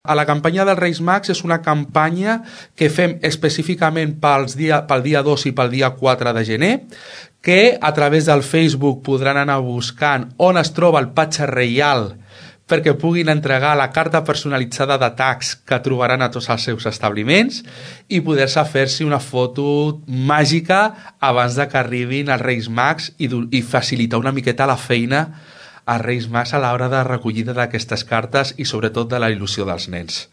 A la campanya dels Reis Mags és una campanya que fem específicament pel dia 2 i pel dia 4 de gener, que a través del Facebook podran anar buscant on es troba el patge reial perquè puguin entregar la carta personalitzada de tags que trobaran a tots els seus establiments i poder-se fer-se una foto màgica abans de que arribin els Reis Mags i facilitar una miqueta la feina als Reis Mags a l'hora de recollida d'aquestes cartes i sobretot de la il·lusió dels nens.